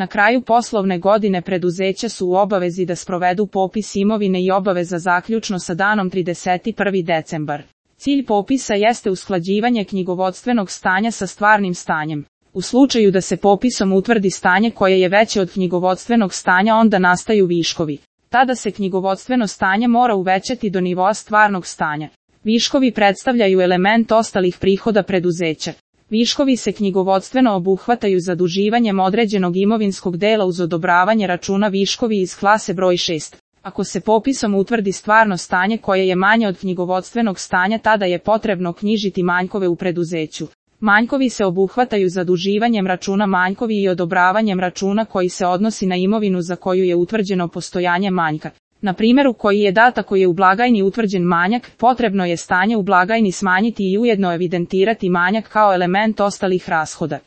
Na kraju poslovne godine preduzeća su u obavezi da sprovedu popis imovine i obaveza zaključno sa danom 31. decembar. Cilj popisa jeste usklađivanje knjigovodstvenog stanja sa stvarnim stanjem. U slučaju da se popisom utvrdi stanje koje je veće od knjigovodstvenog stanja, onda nastaju viškovi. Tada se knjigovodstveno stanje mora uvećati do nivoa stvarnog stanja. Viškovi predstavljaju element ostalih prihoda preduzeća. Viškovi se knjigovodstveno obuhvataju zaduživanjem određenog imovinskog dela uz odobravanje računa viškovi iz klase broj 6. Ako se popisom utvrdi stvarno stanje koje je manje od knjigovodstvenog stanja, tada je potrebno knjižiti manjkove u preduzeću. Manjkovi se obuhvataju zaduživanjem računa manjkovi i odobravanjem računa koji se odnosi na imovinu za koju je utvrđeno postojanje manjka. Na primjeru koji je dat ako je u blagajni utvrđen manjak, potrebno je stanje u blagajni smanjiti i ujedno evidentirati manjak kao element ostalih rashoda.